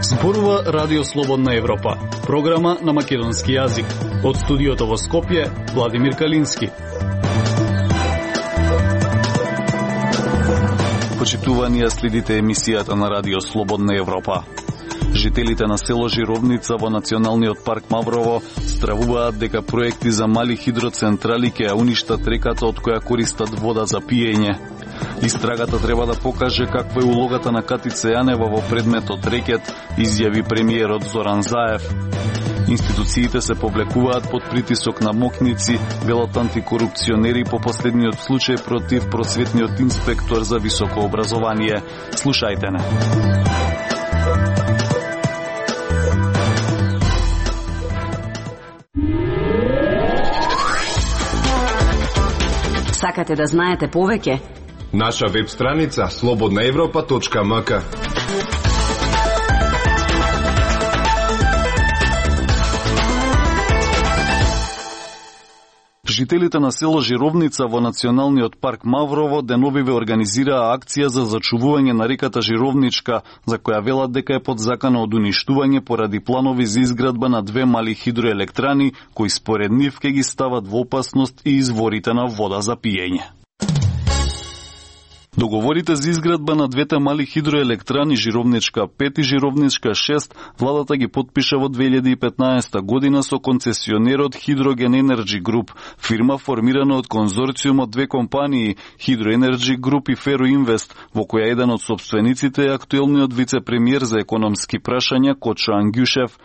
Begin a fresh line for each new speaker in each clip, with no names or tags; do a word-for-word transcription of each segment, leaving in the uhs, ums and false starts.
Зборува Радио Слободна Европа, програма на македонски јазик. Од студиото во Скопје, Владимир Калински. Почитувани, следите емисијата на Радио Слободна Европа. Жителите на село Жировница во Националниот парк Маврово стравуваат дека проекти за мали хидроцентрали ќе ја уништат реката од која користат вода за пиење. Истрагата треба да покаже каква е улогата на Катица Јанева во предметот рекет, изјави премиерот Зоран Заев. Институциите се повлекуваат под притисок на мокници, велат антикорупционери по последниот случај против просветниот инспектор за високо образование. Слушајте не.
Сакате да знаете повеќе?
Наша веб страница слободна европа точка ем ка.
Жителите на село Жировница во Националниот парк Маврово деновиве организираа акција за зачувување на реката Жировничка, за која велат дека е под закана од уништување поради планови за изградба на две мали хидроелектрани, кои според нив ќе ги стават во опасност и изворите на вода за пиење. Договорите за изградба на двете мали хидроелектрани Жировничка пет и Жировничка шест владата ги потпиша во две илјади и петнаесета година со концесионерот Hydrogen Energy Group, фирма формирана од конзорциум од две компании Hydro Energy Group и Ferroinvest, во која еден од собствениците е актуелниот вице-премиер за економски прашања Кочо Ангјушев.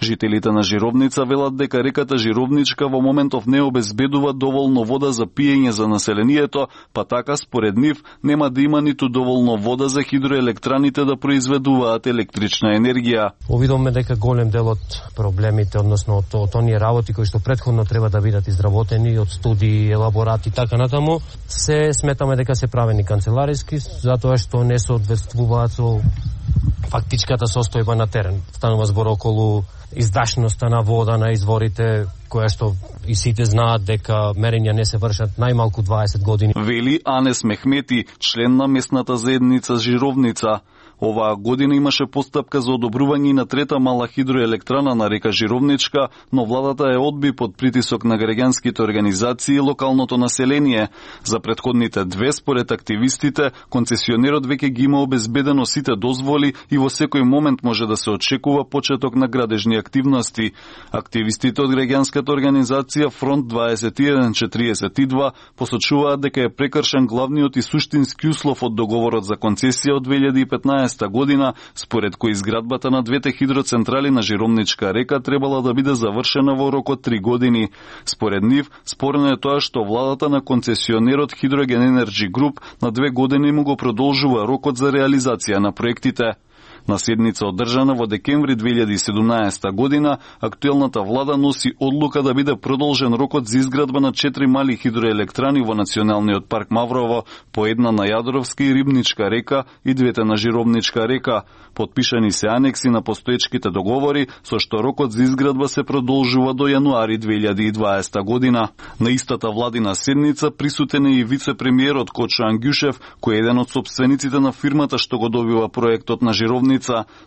Жителите на Жировница велат дека реката Жировничка во моментов не обезбедува доволно вода за пиење за населението, па така според нив нема да има ниту доволно вода за хидроелектраните да произведуваат електрична енергија.
Увидовме дека голем дел од проблемите, односно од, од оние работи кои што претходно треба да бидат изработени од студии, елаборати и така натаму, се сметаме дека се правени канцелариски, затоа што не соодветствуваат со фактичката состојба на терен. Станува збор околу издашноста на вода на изворите, која што и сите знаат дека мерења не се вршат најмалку дваесет години.
Вели Анес Мехмети, член на местната заедница Жировница. Оваа година имаше постапка за одобрување на трета мала хидроелектрана на река Жировничка, но владата е одби под притисок на граѓанските организации и локалното население. За претходните две, според активистите, концесионерот веќе ги има обезбедено сите дозволи и во секој момент може да се очекува почеток на градежни активности. Активистите од граѓанската организација Фронт дваесет и еден четириесет и два посочуваат дека е прекршен главниот и суштински услов од договорот за концесија од две илјади и петнаесета година, според кој изградбата на двете хидроцентрали на Жировничка река требала да биде завршена во рок од три години. Според нив, спорно е тоа што владата на концесионерот Hydrogen Energy Group на две години му го продолжува рокот за реализација на проектите. На седница одржана во декември две илјади и седумнаесета година, актуелната влада носи одлука да биде продолжен рокот за изградба на четири мали хидроелектрани во Националниот парк Маврово, по една на Јадровска и Рибничка река и двете на Жировничка река. Подпишани се анекси на постоечките договори, со што рокот за изградба се продолжува до јануари две илјади и дваесета година. На истата владина седница присутен е и вице-премиерот Кочо Ангјушев, кој е еден од собствениците на фирмата што го добива проектот на Жировница.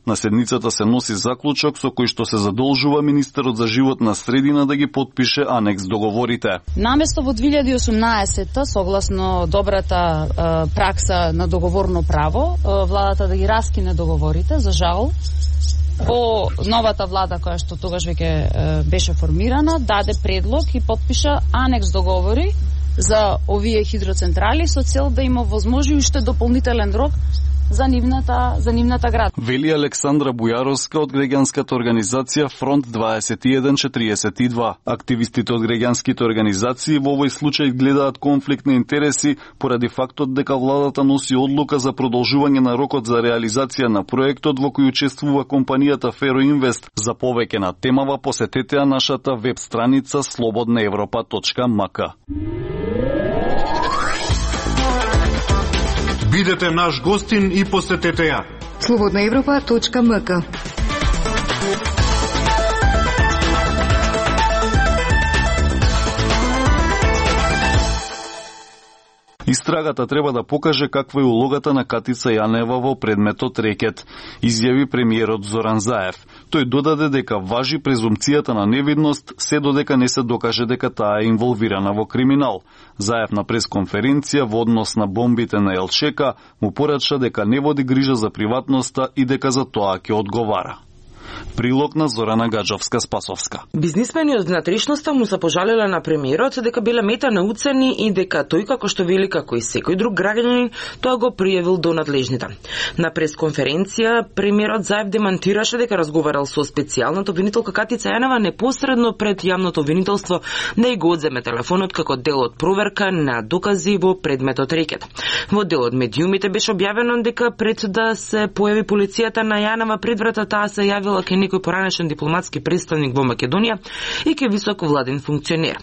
На седницата се носи заклучок со кој што се задолжува министерот за животна средина да ги потпише анекс договорите.
Наместо во две илјади и осумнаесета, согласно добрата е, пракса на договорно право, е, владата да ги раскине договорите, за жал, по новата влада која што тогаш веќе е, беше формирана, даде предлог и потпиша анекс договори за овие хидроцентрали со цел да има возможи уште дополнителен рок за нивната, за нивната град.
Вели Александра Бујаровска од граѓанската организација Фронт дваесет и еден четириесет и два. Активистите од граѓанските организации во овој случај гледаат конфликт на интереси поради фактот дека владата носи одлука за продолжување на рокот за реализација на проектот во кој учествува компанијата Ferroinvest. За повеќе на темава посетете нашата веб страница слободна европа точка ем ка.
Бидете наш гостин и посетете ја.
слободна европа точка ем ка.
Истрагата треба да покаже каква е улогата на Катица Јанева во предметот рекет, изјави премиерот Зоран Заев. Тој додаде дека важи презумпцијата на невидност се додека не се докаже дека таа е инволвирана во криминал. Заев на пресконференција во однос на бомбите на Елчека му порача дека не води грижа за приватноста и дека за тоа ќе одговара. Прилог на Зорана Гаджовска-Спасовска.
Бизнисмени од внатрешноста му се пожалеле на премиерот дека биле мета на уцени и дека тој, како што вели, како и секој друг граѓанин, тоа го пријавил до надлежните. На пресконференција премиерот Заев демантираше дека разговарал со специјалната обвинителка Катица Јанева непосредно пред јавното обвинителство да ја го одземе телефонот како дел од проверка на докази во предметот рекет. Во дел од медиумите беше објавено дека пред да се појави полицијата на Јанева пред врата, таа се јавила ке некој поранешен дипломатски представник во Македонија и ке висок владен функционер.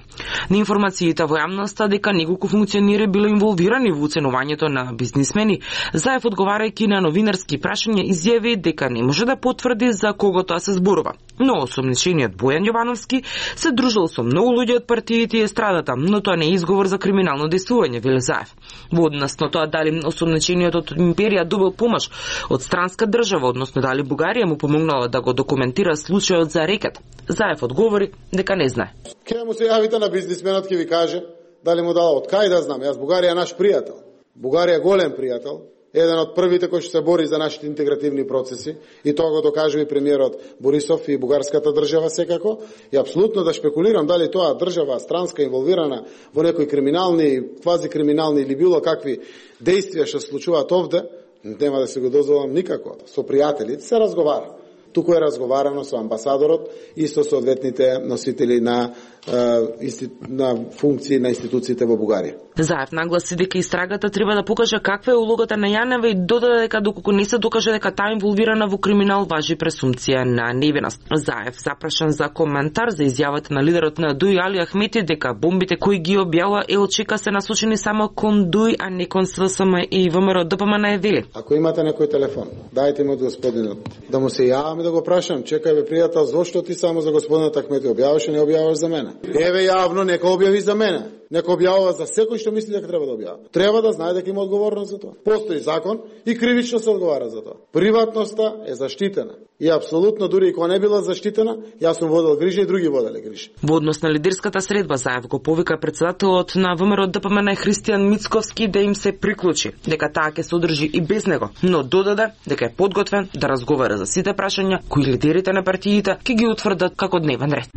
На информациите во јавноста дека неколку функционери било инволвирани во уценувањето на бизнисмени, Заев одговарајќи на новинарски прашања изјави дека не може да потврди за кого тоа се зборува. Но осомничениот Бојан Јовановски се дружил со многу луѓе од партиите и естрадата, но тоа не е изговор за криминално дејствување, вели Заев. Во однос на тоа дали осомничениот од империја добил помош од странска држава, односно дали Бугарија му помогнала да го документира случајот за рекет, Заев одговори дека не знае.
Ке му се јавите на бизнисменот, ќе ви каже дали му дала од кај да знам. Јас Бугарија е наш пријател. Бугарија е голем пријател, еден од првите кој што се бори за нашите интегративни процеси, и тоа го докажува и премиерот Борисов и бугарската држава секако. И апсолутно да шпекулирам дали тоа држава странска инволвирана во некои криминални, квази криминални или било какви дејствија што се случуваат овде, нема да се го дозволам никако. Со пријателите се разговара. Туку е разговарано со амбасадорот и со соодветните носители на, е, на функции на институциите во Бугарија.
Заев нагласи дека истрагата треба да покаже каква е улогата на Јанева и додаде дека доколку не се докаже дека таа инволвирана во криминал, важи пресумпција на невиност. Заев запрашан за коментар за изјавата на лидерот на Дуј Али Ахмети дека бомбите кои ги објавува Елчека се насочени само кон Дуј, а не кон СДСМ и ВМРО ДПМН е вели.
Ако имате некој телефон, дајте ми од господинот, да му се јавам и да го прашам, чекај бе пријател, зошто ти само за господинот Ахмети објаваш и не објаваш за мене? Еве јавно, нека објави за мене. Нека објавува за секој што мисли дека треба да објавува. Треба да знае дека има одговорност за тоа. Постои закон и кривично се одговара за тоа. Приватноста е заштитена. И апсолутно, дури и кога не била заштитена, јас сум водел грижа и други воделе грижа.
Во однос на лидерската средба, Заев го повика председателот на ВМРО ДПМН Христијан Мицковски да им се приклучи, дека таа ќе се одржи и без него, но додаде дека е подготвен да разговара за сите прашања кои лидерите на партиите ќе ги утврдат како дневен ред.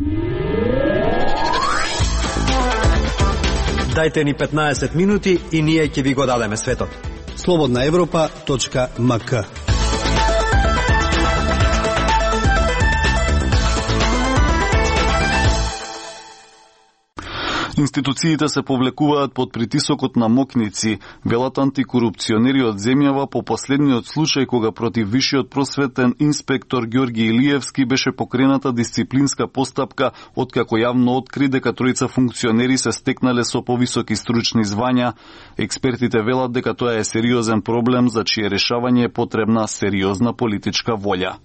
Дајте ни петнаесет минути и ние ќе ви го дадеме светот. слободна европа точка ем ка.
Институциите се повлекуваат под притисокот на мокници, велат антикорупционери од земјава по последниот случај кога против вишиот просветен инспектор Ѓорги Илиевски беше покрената дисциплинска постапка откако јавно откри дека тројца функционери се стекнале со повисоки стручни звања. Експертите велат дека тоа е сериозен проблем за чие решавање е потребна сериозна политичка волја.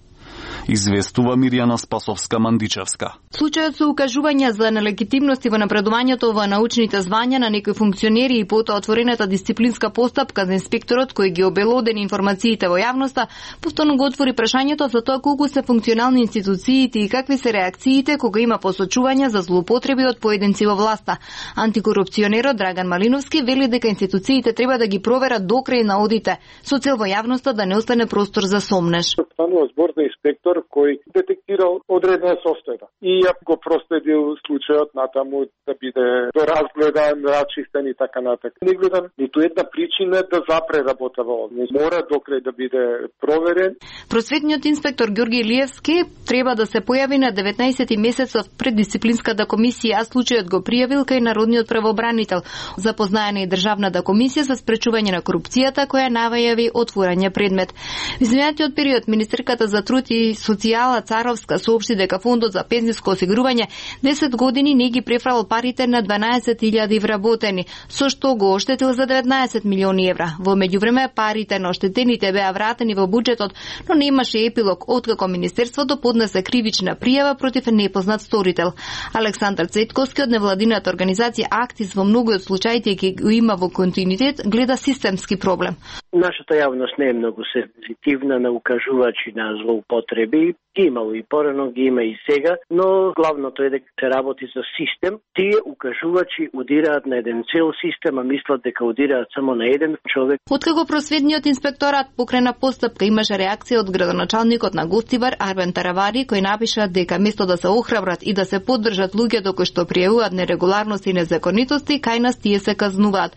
Известува Мирјана Спасовска-Мандичевска.
Случајот со укажувања за нелегитимности во напредувањето во научните звања на некои функционери и потоа отворената дисциплинска постапка за инспекторот кој ги обелодени информациите во јавноста, повторно го отвори прашањето за тоа колку се функционални институциите и какви се реакциите кога има посочувања за злоупотреби од поединци во власта. Антикорупционерот Драган Малиновски вели дека институциите треба да ги проверат до крај на одите, со цел во јавноста да не остане простор за сомнеж.
Станува збор за инспектор кој детектирал одредена состојба и ја го проследил случајот натаму да биде доразгледан, рачистен и така натаму. Не гледам ниту една причина да запре работа во овде. Мора докрај да биде проверен.
Просветниот инспектор Ѓорги Илиевски треба да се појави на деветнаесети месецот пред дисциплинската комисија, а случајот го пријавил кај народниот правобранител. Запознаена и државната комисија за спречување на корупцијата која навајави отворање предмет. Во изминатиот период министерката за труд и социјала Царовска соопшти дека фондот за пензиско осигурување десет години не ги префрал парите на дванаесет илјади вработени, со што го оштетил за деветнаесет милиони евра. Во меѓувреме парите на оштетените беа вратени во буџетот, но немаше епилог откако министерството поднесе кривична пријава против непознат сторител. Александар Цветковски од невладината организација Актис во многу од случаите ќе го има во континуитет гледа системски проблем.
Нашата јавност не е многу сензитивна на укажувачи на злоупотреби. Ги имало и порано, ги има и сега, но главното е дека се работи за систем. Тие укажувачи удираат на еден цел систем, а мислат дека удираат само на еден човек.
Откако просветниот инспекторат покрена постапка, имаше реакција од градоначалникот на Гостивар Арбен Таравари, кој напиша дека место да се охрабрат и да се поддржат луѓето кои што пријавуваат нерегуларности и незаконитости, кај нас тие се казнуваат.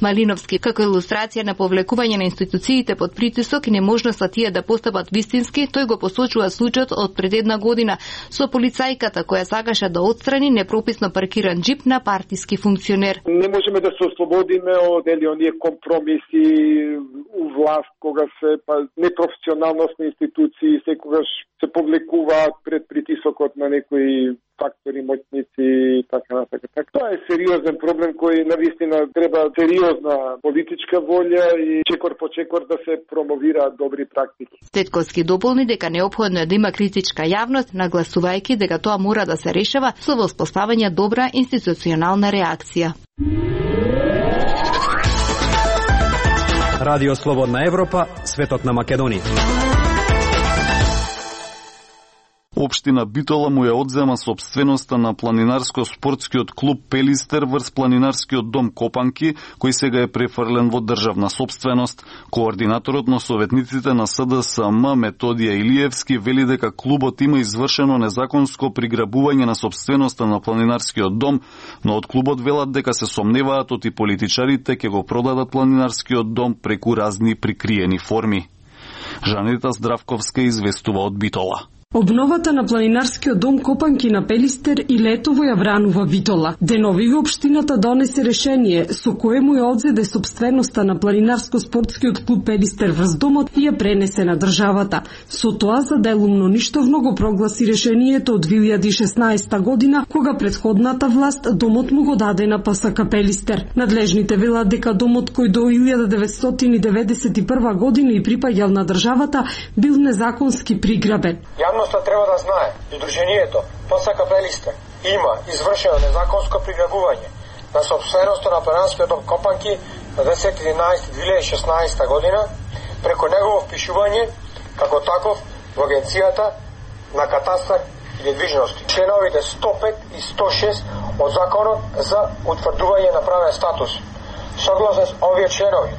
Малиновски, како илустрација на повлекување на институциите под притисок и неможноста тие да постапат вистински, тој го посочува случајот од пред една година со полицајката која сакаше да отстрани непрописно паркиран джип на партиски функционер.
Не можеме да се ослободиме од дели оние компромиси у власт кога се па непрофесионалност на институции секогаш се повлекуваат пред притисокот на некои фактори, моќници и така натака. Так, тоа е сериозен проблем кој навистина треба сериозна политичка волја и чекор по чекор да се промовираат добри практики.
Цветковски дополни дека неопходно е да има критичка јавност, нагласувајќи дека тоа мора да се решава со воспоставање добра институционална реакција.
Радио Слободна Европа, светот на Македонија.
Општина Битола му ја одзема сопственоста на планинарско-спортскиот клуб Пелистер врз планинарскиот дом Копанки, кој сега е префрлен во државна сопственост. Координаторот на советниците на С Д С М Методија Илиевски вели дека клубот има извршено незаконско приграбување на сопственоста на планинарскиот дом, но од клубот велат дека се сомневаат оти политичарите ќе го продадат планинарскиот дом преку разни прикриени форми. Жанита Здравковска известува од Битола.
Обновата на планинарскиот дом Копанки на Пелистер и летово ја вранува Битола. Денови општината донесе решение со кое му ја одзеде сопственоста на планинарско-спортскиот клуб Пелистер врз домот и ја пренесе на државата. Со тоа за делумно ништовно го прогласи решението од две илјади и шеснаесета година, кога претходната власт домот му го даде на П С К Пелистер. Надлежните велат дека домот кој до илјада деветстотини деветдесет и прва година и припаѓал на државата бил незаконски приграбен.
Јавноста треба да знае, Удруженијето П С К Пелистер има извршено незаконско приграбување на сопственоста на планинарскиот дом Копанки на десети единаесети две илјади и шеснаесета година преку негово впишување како таков во Агенцијата на катастар и недвижности. Членовите сто пет и сто шест од Законот за утврдување на правен статус. Согласно с овие членови,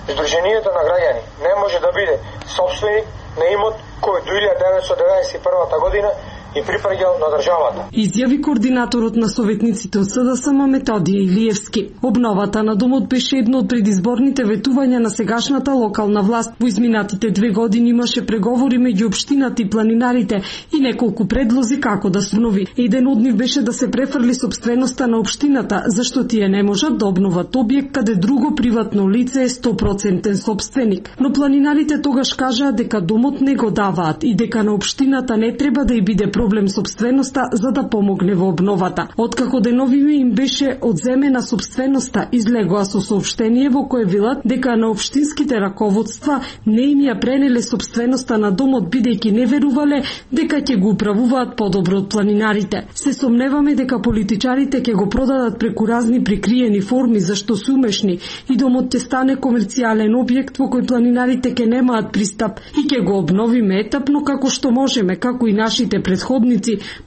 Сдруженијето на граѓани не може да биде собственик на имот кој до илјада деветстотини деветдесет и прва година и припаѓал на државата.
Изјави координаторот на советниците од С Д С М Методија Илиевски. Обновата на домот беше едно од предизборните ветувања на сегашната локална власт. Во изминатите две години имаше преговори меѓу општината и планинарите и неколку предлози како да се обнови. Еден од нив беше да се префрли сопственоста на општината, зашто тие не можат да обноват објект каде друго приватно лице е сто проценти собственик. Но планинарите тогаш кажаа дека домот не го даваат и дека на општината не треба да и биде проблем собственоста за да помогне во обновата. Откако денови им беше одземена собственоста, излегоа со соопштение во кое велат дека на општинските раководства не им ја пренеле собственоста на домот бидејќи не верувале дека ќе го управуваат подобро од планинарите. Се сомневаме дека политичарите ќе го продадат преку разни прикриени форми зашто се умешни и домот ќе стане комерцијален објект во кој планинарите ќе немаат пристап и ќе го обновиме етапно како што можеме, како и нашите предходници,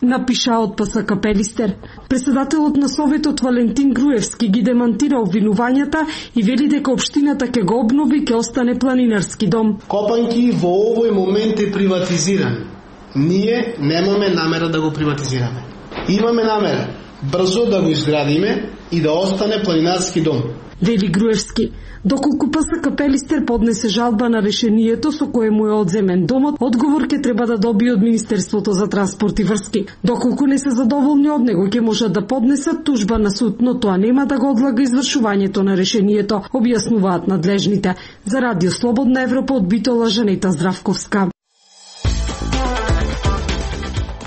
напиша од П С К Пелистер. Председателот на Советот Валентин Груевски ги демантира обвинувањата и вели дека општината ќе го обнови и ќе остане планинарски дом.
Копанки во овој момент е приватизиран. Ние немаме намера да го приватизираме. Имаме намера брзо да го изградиме и да остане планинарски дом.
Вели Груевски. Доколку П С К Пелистер поднесе жалба на решението со кое му е одземен домот, одговор ќе треба да добие од Министерството за транспорт и врски. Доколку не се задоволни од него, ќе можат да поднесат тужба на суд, но тоа нема да го одлага извршувањето на решението, објаснуваат надлежните. За Радио Слободна Европа од Битола, Жанета Здравковска.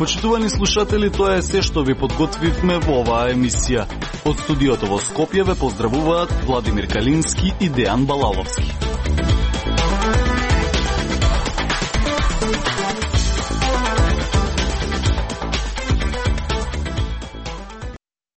Почитувани слушатели, тоа е се што ви подготвивме во оваа емисија. Од студиото во Скопје ве поздравуваат Владимир Калински и Дејан Балаловски.